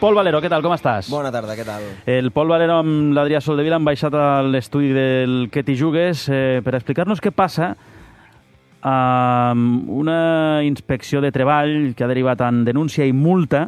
Pol Valero, què tal, com estàs? Bona tarda, què tal? El Pol Valero amb l'Adrià Soldevila han baixat a l'estudi del Que t'hi jugues per explicar-nos què passa amb una inspecció de treball que ha derivat en denúncia i multa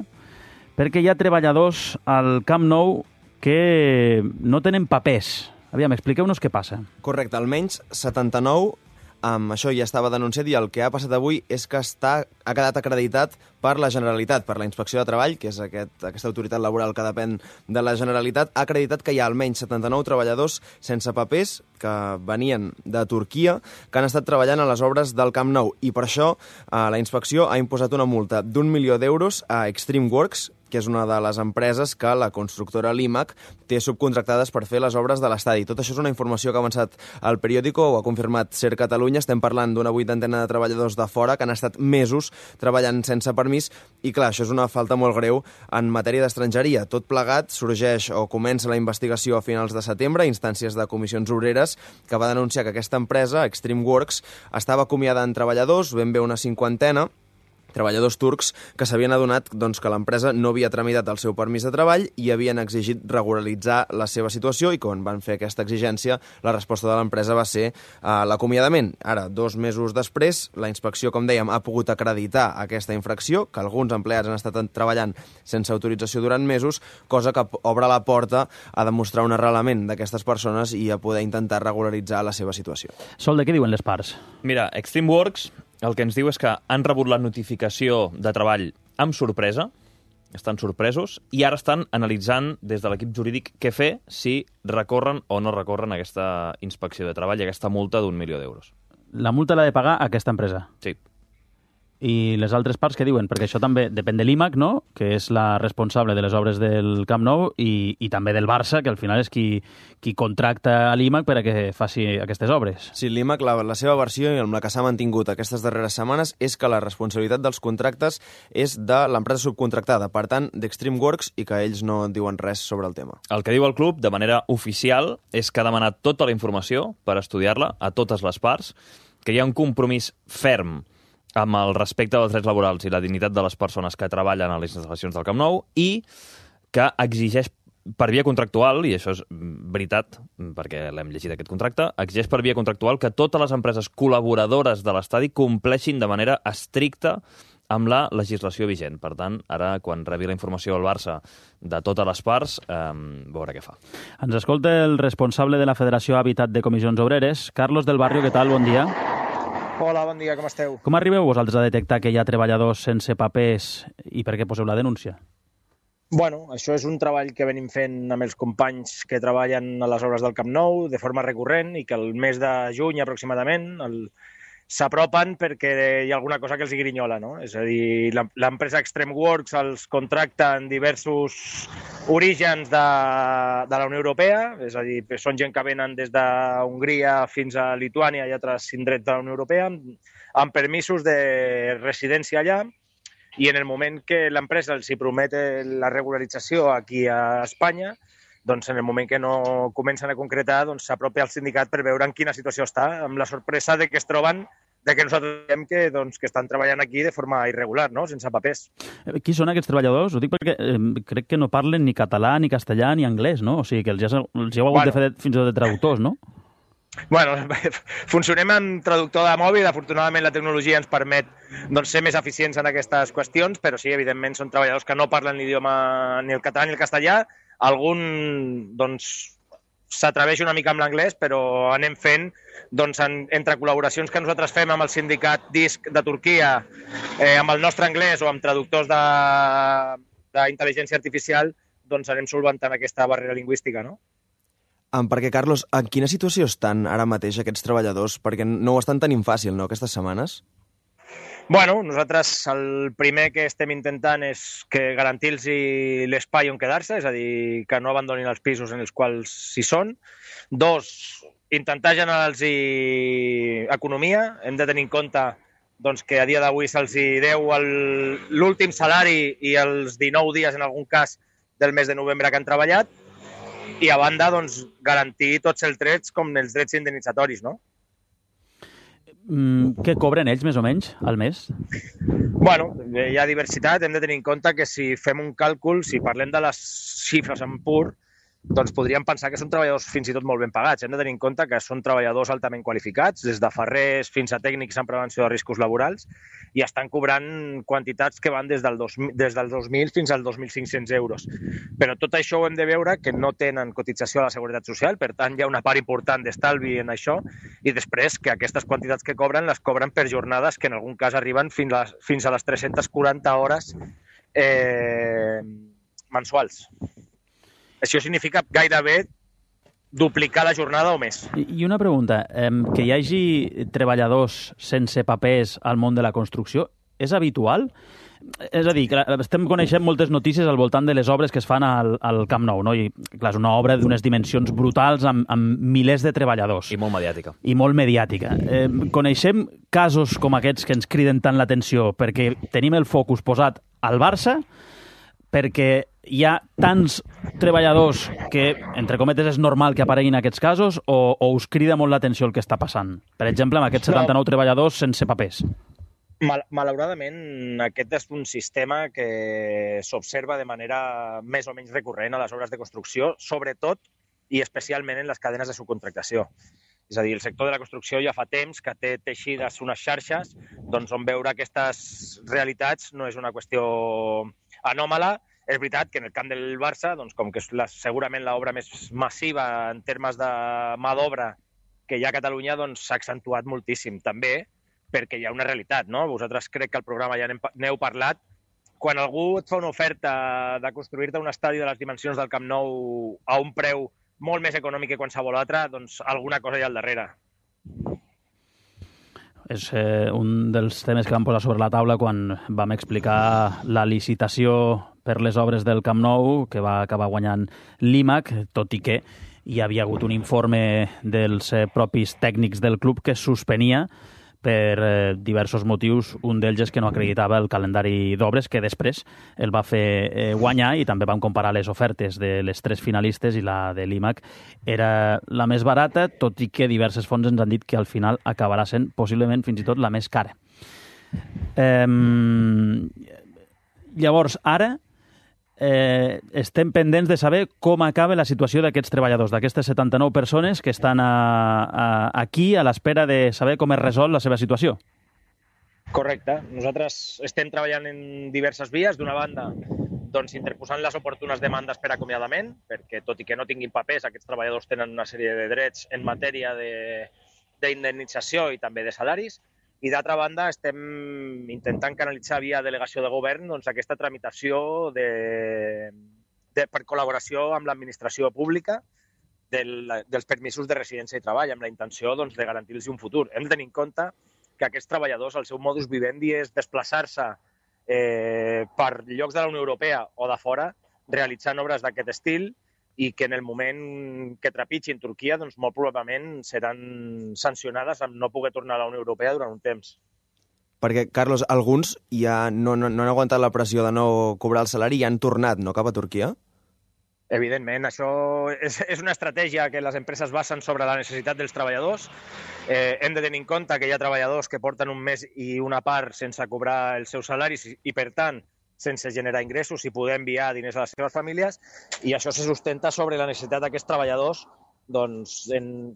perquè hi ha treballadors al Camp Nou que no tenen papers. Aviam, expliqueu-nos què passa. Correcte, almenys 79, amb això ja estava denunciat, i el que ha passat avui és que ha quedat acreditat per la Generalitat, per la Inspecció de Treball, que és aquesta autoritat laboral que depèn de la Generalitat, ha acreditat que hi ha almenys 79 treballadors sense papers que venien de Turquia, que han estat treballant a les obres del Camp Nou, i per això la inspecció ha imposat una multa d'1 milió d'euros a Extreme Works, que és una de les empreses que la constructora Limac té subcontractades per fer les obres de l'estadi. Tot això és una informació que ha avançat al periòdico, ho ha confirmat Ser Catalunya. Estem parlant d'una 80ena de treballadors de fora que han estat mesos treballant sense permís, i clar, això és una falta molt greu en matèria d'estrangeria. Tot plegat sorgeix o comença la investigació a finals de setembre, a instàncies de comissions obreres, que va denunciar que aquesta empresa, Extreme Works, estava acomiadant treballadors, ben bé una 50ena, treballadors turcs que s'havien adonat que l'empresa no havia tramitat el seu permís de treball i havien exigit regularitzar la seva situació, i quan van fer aquesta exigència, la resposta de l'empresa va ser l'acomiadament. Ara, 2 mesos després, la inspecció, com dèiem, ha pogut acreditar aquesta infracció, que alguns empleats han estat treballant sense autorització durant mesos, cosa que obre la porta a demostrar un arrelament d'aquestes persones i a poder intentar regularitzar la seva situació. Sol, de què diuen les parts? Mira, Extreme Works el que ens diu és que han rebut la notificació de treball amb sorpresa, estan sorpresos, i ara estan analitzant des de l'equip jurídic què fer si recorren o no recorren aquesta inspecció de treball i aquesta multa d'1 milió d'euros. La multa l'ha de pagar aquesta empresa? Sí. I les altres parts què diuen? Perquè això també depèn de l'IMAC, no?, que és la responsable de les obres del Camp Nou, i també del Barça, que al final és qui contracta a l'IMAC per a que faci aquestes obres. Sí, l'IMAC, la seva versió, i amb la que s'ha mantingut aquestes darreres setmanes, és que la responsabilitat dels contractes és de l'empresa subcontractada, per tant, d'Extreme Works, i que ells no diuen res sobre el tema. El que diu el club, de manera oficial, és que ha demanat tota la informació per estudiar-la a totes les parts, que hi ha un compromís ferm amb el respecte dels drets laborals i la dignitat de les persones que treballen a les instal·lacions del Camp Nou, i que exigeix per via contractual, i això és veritat, perquè l'hem llegit aquest contracte, exigeix per via contractual que totes les empreses col·laboradores de l'estadi compleixin de manera estricta amb la legislació vigent. Per tant, ara, quan rebi la informació al Barça de totes les parts, veure què fa. Ens escolta el responsable de la Federació Habitat de Comissions Obreres, Carlos del Barrio. Què tal? Bon dia. Hola, bon dia, com esteu? Com arribeu vosaltres a detectar que hi ha treballadors sense papers i per què poseu la denúncia? Bueno, això és un treball que venim fent amb els companys que treballen a les obres del Camp Nou de forma recurrent, i que el mes de juny aproximadament s'apropen perquè hi ha alguna cosa que els grinyola, no? És a dir, l'empresa Extreme Works els contracta en diversos orígens de la Unió Europea, és a dir, són gent que venen des d'Hongria fins a Lituània i altres indrets de la Unió Europea, amb permisos de residència allà, i en el moment que l'empresa els hi promet la regularització aquí a Espanya, doncs en el moment que no comencen a concretar, doncs s'apropa al sindicat per veure en quina situació està, amb la sorpresa de que es troben que nosaltres diem que estan treballant aquí de forma irregular, no?, sense papers. Qui són aquests treballadors? Ho dic perquè crec que no parlen ni català, ni castellà, ni anglès, no? O sigui que els heu hagut de fer fins i tot de traductors, no? Bueno, funcionem amb traductor de mòbil. Afortunadament la tecnologia ens permet ser més eficients en aquestes qüestions, però sí, evidentment són treballadors que no parlen l'idioma ni el català ni el castellà. Algun s'atreveix una mica amb l'anglès, però anem fent entre col·laboracions que nosaltres fem amb el sindicat DISC de Turquia, amb el nostre anglès o amb traductors d'intel·ligència artificial, anem solventant aquesta barrera lingüística, no? Perquè, Carlos, en quina situació estan ara mateix aquests treballadors? Perquè no ho estan tenint fàcil, no, aquestes setmanes? Bueno, nosaltres el primer que estem intentant és garantir-los l'espai on quedar-se, és a dir, que no abandonin els pisos en els quals hi són. 2, intentar generar-los economia. Hem de tenir en compte que a dia d'avui se'ls deu l'últim salari i els 19 dies, en algun cas, del mes de novembre que han treballat. I a banda, garantir tots els drets com els drets indemnitzatoris, no? Què cobren ells, més o menys, al mes? Bueno, hi ha diversitat. Hem de tenir en compte que si fem un càlcul, si parlem de les xifres en pur, doncs podríem pensar que són treballadors fins i tot molt ben pagats. Hem de tenir en compte que són treballadors altament qualificats, des de ferrers fins a tècnics en prevenció de riscos laborals, i estan cobrant quantitats que van des dels 2.000 fins als 2.500 euros. Però tot això ho hem de veure que no tenen cotització a la Seguretat Social, per tant hi ha una part important d'estalvi en això, i després que aquestes quantitats que cobren les cobren per jornades que en algun cas arriben fins a les 340 hores mensuals. Això significa gairebé duplicar la jornada o més. I una pregunta, que hi hagi treballadors sense papers al món de la construcció, és habitual? És a dir, estem coneixent moltes notícies al voltant de les obres que es fan al Camp Nou, no? I, clar, és una obra d'unes dimensions brutals amb milers de treballadors. I molt mediàtica. I molt mediàtica. Coneixem casos com aquests que ens criden tant l'atenció perquè tenim el focus posat al Barça, perquè hi ha tants treballadors que, entre cometes, és normal que apareguin aquests casos, o us crida molt l'atenció el que està passant? Per exemple, amb aquests 79 treballadors sense papers. Malauradament, aquest és un sistema que s'observa de manera més o menys recurrent a les obres de construcció, sobretot i especialment en les cadenes de subcontractació. És a dir, el sector de la construcció ja fa temps que té teixides unes xarxes, doncs on veure aquestes realitats no és una qüestió anòmala. És veritat que en el camp del Barça, doncs, com que és segurament l'obra més massiva en termes de mà d'obra que hi ha a Catalunya, doncs s'ha accentuat moltíssim. També perquè hi ha una realitat, no? Vosaltres crec que al programa ja n'heu parlat. Quan algú et fa una oferta de construir-te un estadi de les dimensions del Camp Nou a un preu molt més econòmic que qualsevol altre, doncs alguna cosa hi ha al darrere. És un dels temes que vam posar sobre la taula quan vam explicar la licitació per les obres del Camp Nou, que va acabar guanyant l'IMAC, tot i que hi havia hagut un informe dels propis tècnics del club que suspenia per diversos motius. Un d'ells és que no acreditava el calendari d'obres, que després el va fer guanyar, i també vam comparar les ofertes de les 3 finalistes i la de l'IMAC era la més barata, tot i que diverses fonts ens han dit que al final acabarà sent possiblement fins i tot la més cara. Llavors, ara estem pendents de saber com acaba la situació d'aquests treballadors, d'aquestes 79 persones que estan aquí a l'espera de saber com es resol la seva situació. Correcte. Nosaltres estem treballant en diverses vies. D'una banda, doncs, interposant les oportunes demandes per acomiadament, perquè tot i que no tinguin papers, aquests treballadors tenen una sèrie de drets en matèria d'indemnització i també de salaris. I d'altra banda, estem intentant canalitzar via delegació de govern doncs, aquesta tramitació per col·laboració amb l'administració pública dels permisos de residència i treball, amb la intenció doncs, de garantir-los un futur. Hem de tenir en compte que aquests treballadors, el seu modus vivendi és desplaçar-se per llocs de la Unió Europea o de fora, realitzant obres d'aquest estil, i que en el moment que trepitgin Turquia, doncs molt probablement seran sancionades amb no poder tornar a la Unió Europea durant un temps. Perquè, Carlos, alguns ja no han aguantat la pressió de no cobrar el salari i han tornat, no, cap a Turquia? Evidentment, això és una estratègia que les empreses basen sobre la necessitat dels treballadors. Hem de tenir en compte que hi ha treballadors que porten un mes i una part sense cobrar els seus salaris i, per tant, sense generar ingressos i poder enviar diners a les seves famílies, i això se sustenta sobre la necessitat d'aquests treballadors doncs,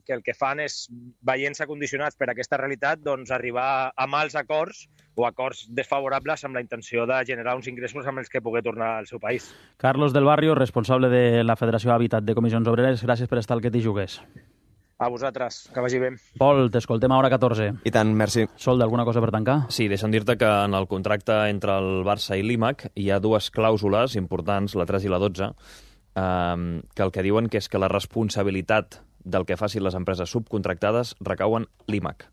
que el que fan és, veient-se condicionats per aquesta realitat, doncs, arribar a mals acords o acords desfavorables amb la intenció de generar uns ingressos amb els que poder tornar al seu país. Carlos del Barrio, responsable de la Federació Hàbitat de Comissions Obreres, gràcies per estar al Que t'hi jugués. A vosaltres, que vagi bé. Pol, t'escoltem a hora 14. I tant, merci. Sol, d'alguna cosa per tancar? Sí, deixa'm dir-te que en el contracte entre el Barça i l'IMAC hi ha 2 clàusules importants, la 3 i la 12, que el que diuen que és que la responsabilitat del que facin les empreses subcontractades recau en l'IMAC.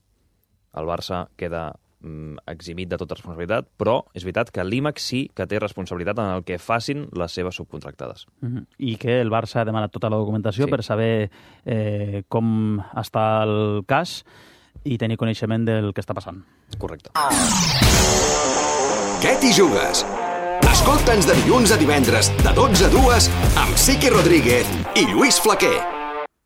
El Barça queda eximit de tota responsabilitat, però és veritat que l'IMAC sí que té responsabilitat en el que facin les seves subcontractades. I que el Barça ha demanat tota la documentació per saber com està el cas i tenir coneixement del que està passant. Correcte. Què t'hi jugues? Escolta'ns de dilluns a divendres, de 12 a 2, amb Siqui Rodríguez i Lluís Flaquer.